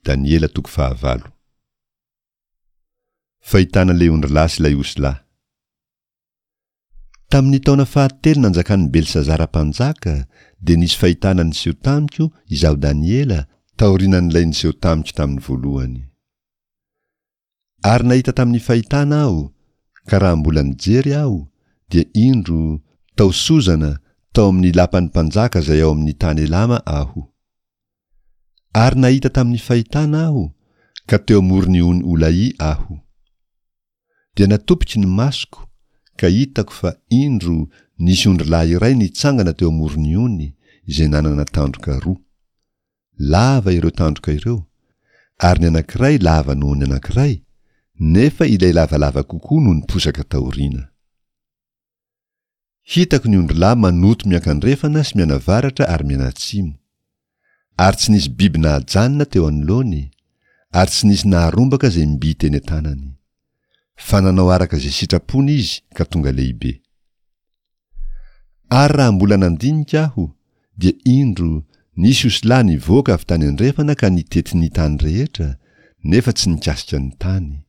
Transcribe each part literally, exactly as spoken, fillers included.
Daniela toko fahavalo. Fahitana ilay ondrilahy sy ilay osilahy. Tamin'ny taona fahatelo nanjakan'i Belsazara mpanjaka, dia nisy fahitana niseho tamiko, izaho Daniela, taorianan'ilay niseho tamiko tamin'ny voalohany. Ary nahita tamin'ny fahitana aho, ka raha mbola nijery aho, dia indro, tao Sozana, tao amin'ny lapan'ny mpanjaka izay ao amin'ny tany Elama aho. Ary nahita tamin'ny fahitana aho, ka teo amoron'ny ony Olaì aho. Dia natopiko ny masoko, ka hitako fa, indro, nisy ondrilahy iray nitsangana teo amoron'ny ony, izay nanana tandroka roa. Lava ireo tandroka ireo, ary ny anankiray lava noho ny anankiray, nefa ilay lavalava kokoa no niposaka taoriana. Hitako ny ondrilahy manoto miankandrefana sy mianavaratra ary mianatsimo. Ary tsy nisy biby nahajanona teo anoloany, ary tsy nisy naharombaka izay mby teny an-tanany. Fa nanao araka izay sitrapony izy ka tonga lehibe. Ary raha mbola nandinika aho, dia indro, nisy osilahy nivoaka avy tany andrefana ka nitety ny tany rehetra, nefa tsy nikasika ny tany.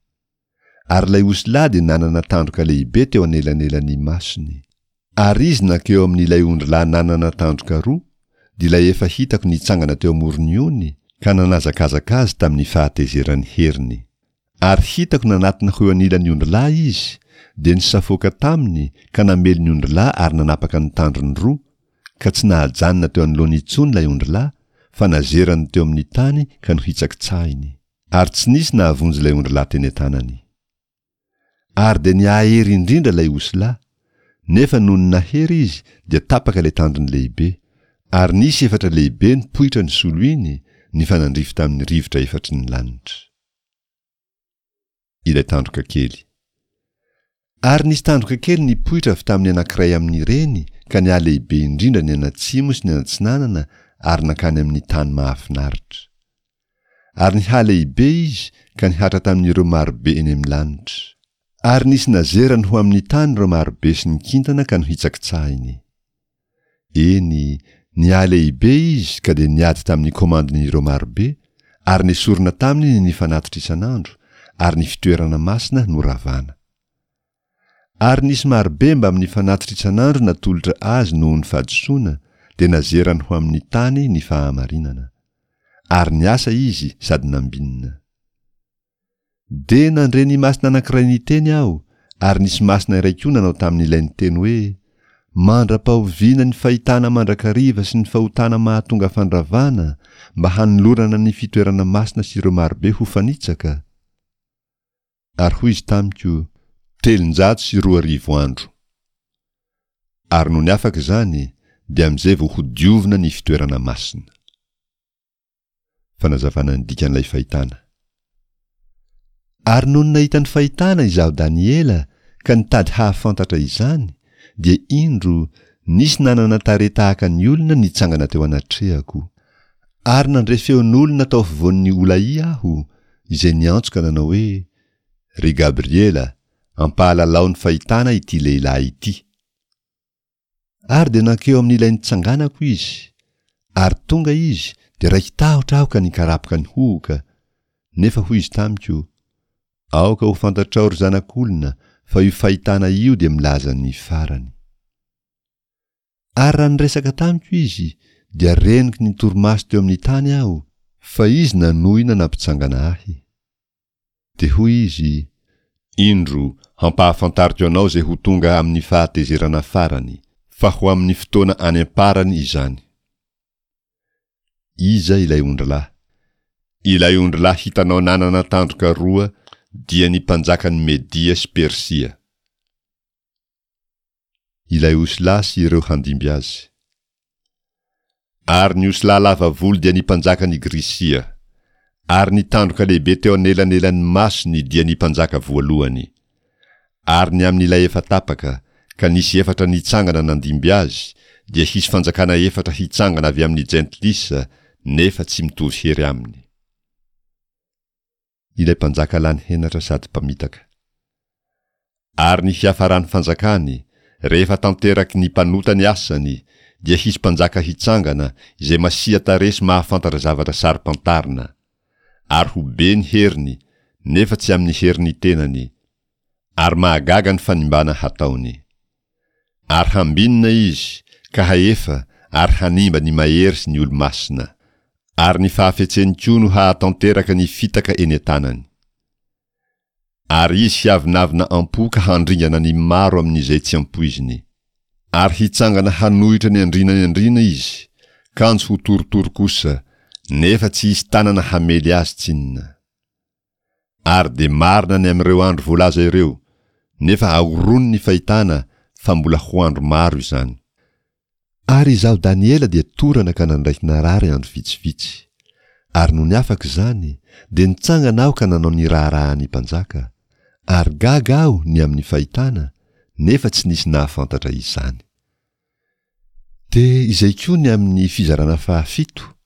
Ary ilay osilahy dia nanana tandroka lehibe teo anelanelan'ny masony. Ary izy nankeo amin'ilay ondrilahy nanana tandroka roa, dia ilay efa hitako nitsangana teo amoron'ny ony, ka nanazakazaka azy tamin'ny fahatezeran'ny heriny. Ary hitako nanatona ho eo anilan'ny ondrilahy izy, dia nisafoaka taminy ka namely ny ondrilahy ary nanapaka ny tandrony roa, ka tsy nahajanona teo anoloany intsony ilay ondrilahy, fa nazerany teo amin'ny tany ka nohitsakitsahiny. Ary tsy nisy nahavonjy ilay ondrilahy teny an-tanany. Ary dia niahery indrindra ilay osilahy, nefa nony nahery izy dia tapaka ilay tandrony lehibe, ary nisy efatra lehibe nipoitra nisolo iny, nifanandrify tamin'ny rivotra efatry ny lanitra. Ilay tandroka kely. Ary nisy tandroka kely nipoitra avy tamin'ny anankiray amin'ireny ka nihalehibe indrindra nianatsimo sy nianatsinanana ary nankany amin'ny tany mahafinaritra. Ary nihalehibe izy ka nihatra tamin'ireo marobe eny amin'ny lanitra. Ary nisy nazerany ho amin'ny tany ireo marobe sy ny kintana ka nohitsakitsahiny. Eny, nihalehibe izy ka dia niady tamin'ny komandin'ireo marobe, ary nesorina taminy ny fanatitra isan'andro, ary ny fitoerana masina noravana. Ary nisy marobe mbamin'ny fanatitra isan'andro natolotra azy noho ny fahadisoana, dia nazerany ho amin'ny tany ny fahamarinana. Ary niasa izy sady nambinina. Dia nandre ny masina anankiray niteny aho, ary nisy masina iray koa nanao tamin'ilay niteny hoe, Mandra-pahoviana ny fahitana mandrakariva sy ny fahotana mahatonga fandravana, mba hanolorana ny fitoerana masina sy ireo marobe ho fanitsaka? Ary hoy izy tamiko, Telonjato sy roa arivo andro. Ary nony afaka izany, dia amin'izay vao hodiovina ny fitoerana masina. Fanazavana ny dikan'ilay fahitana. Ary nony nahita ny fahitana izaho Daniela ka nitady hahafantatra izany, dia indro, nisy nanana tarehy tahaka ny olona nitsangana teo anatrehako. Ary nandre feon'olona tao afovoan'ny Olaì aho, izay niantso ka nanao hoe, Ry Gabriela, ampahalalao ny fahitana ity lehilahy ity. Ary dia nankeo amin'ilay nitsanganako izy. Ary tonga izy, dia raiki-tahotra aho ka nikarapoka nihohoka. Nefa hoy izy tamiko, Aoka ho fantatrao, ry zanak'olona, fa io fahitana io dia milaza ny farany. Ary raha niresaka tamiko izy, dia renoky ny torimaso teo amin'ny tany aho, fa izy nanohina nampitsangana ahy. Dia hoy izy, Indro, hampahafantariko anao izay ho tonga amin'ny fahatezerana farany, fa ho amin'ny fotoana any am-parany izany. Iza ilay ondrilahy? Ilay ondrilahy hitanao nanana tandroka roa dia ny mpanjakan'i Media sy Persia. Ilay osilahy sy ireo handimby azy. Ary ny osilahy lava volo dia ny mpanjakan' i Grisia. Ary ny tandroka lehibe teo anelanelan' ny masony dia ny mpanjaka voalohany. Ary ny amin' ilay efa tapaka, ka nisy efatra nitsangana nandimby azy, dia hisy fanjakana efatra hitsangana avy amin' ny Jentilisa, nefa tsy mitovy hery aminy. Ilay mpanjaka lany henatra sady mpamitaka. Ary ny fiafaran'ny fanjakany, rehefa tanteraky ny mpanota ny asany, dia hisy mpanjaka hitsangana, izay masia tarehy sy mahafantatra zavatra saro-pantarina. Ary ho be ny heriny, nefa tsy amin'ny herin'ny tenany. Ary mahagaga ny fanimbana hataony. Ary hambinina izy, ka hahefa ary hanimba ny mahery sy ny olo-masina. Ary ny fahafetseny koa no hahatanteraka ny fitaka eny an-tanany. Ary izy hiavonavona am-po ka handringana ny maro amin'izay tsy ampoiziny. Ary hitsangana hanohitra ny andriana ny andriana izy, kanjo ho torotoro kosa, nefa tsy hisy tanana hamely azy tsinona. Ary dia marina ny amin'ireo andro voalaza ireo, nefa ahorony ny fahitana fa mbola ho andro maro izany. Ary izaho Daniela dia torana ka nandray narary andro vitsivitsy. Ary nony afaka izany, dia nitsangana aho ka nanao ny raharahan'ny mpanjaka. Ary gaga aho ny amin'ny fahitana, nefa tsy nisy nahafantatra izany. Dia izay koa ny amin'ny fizarana fahafito.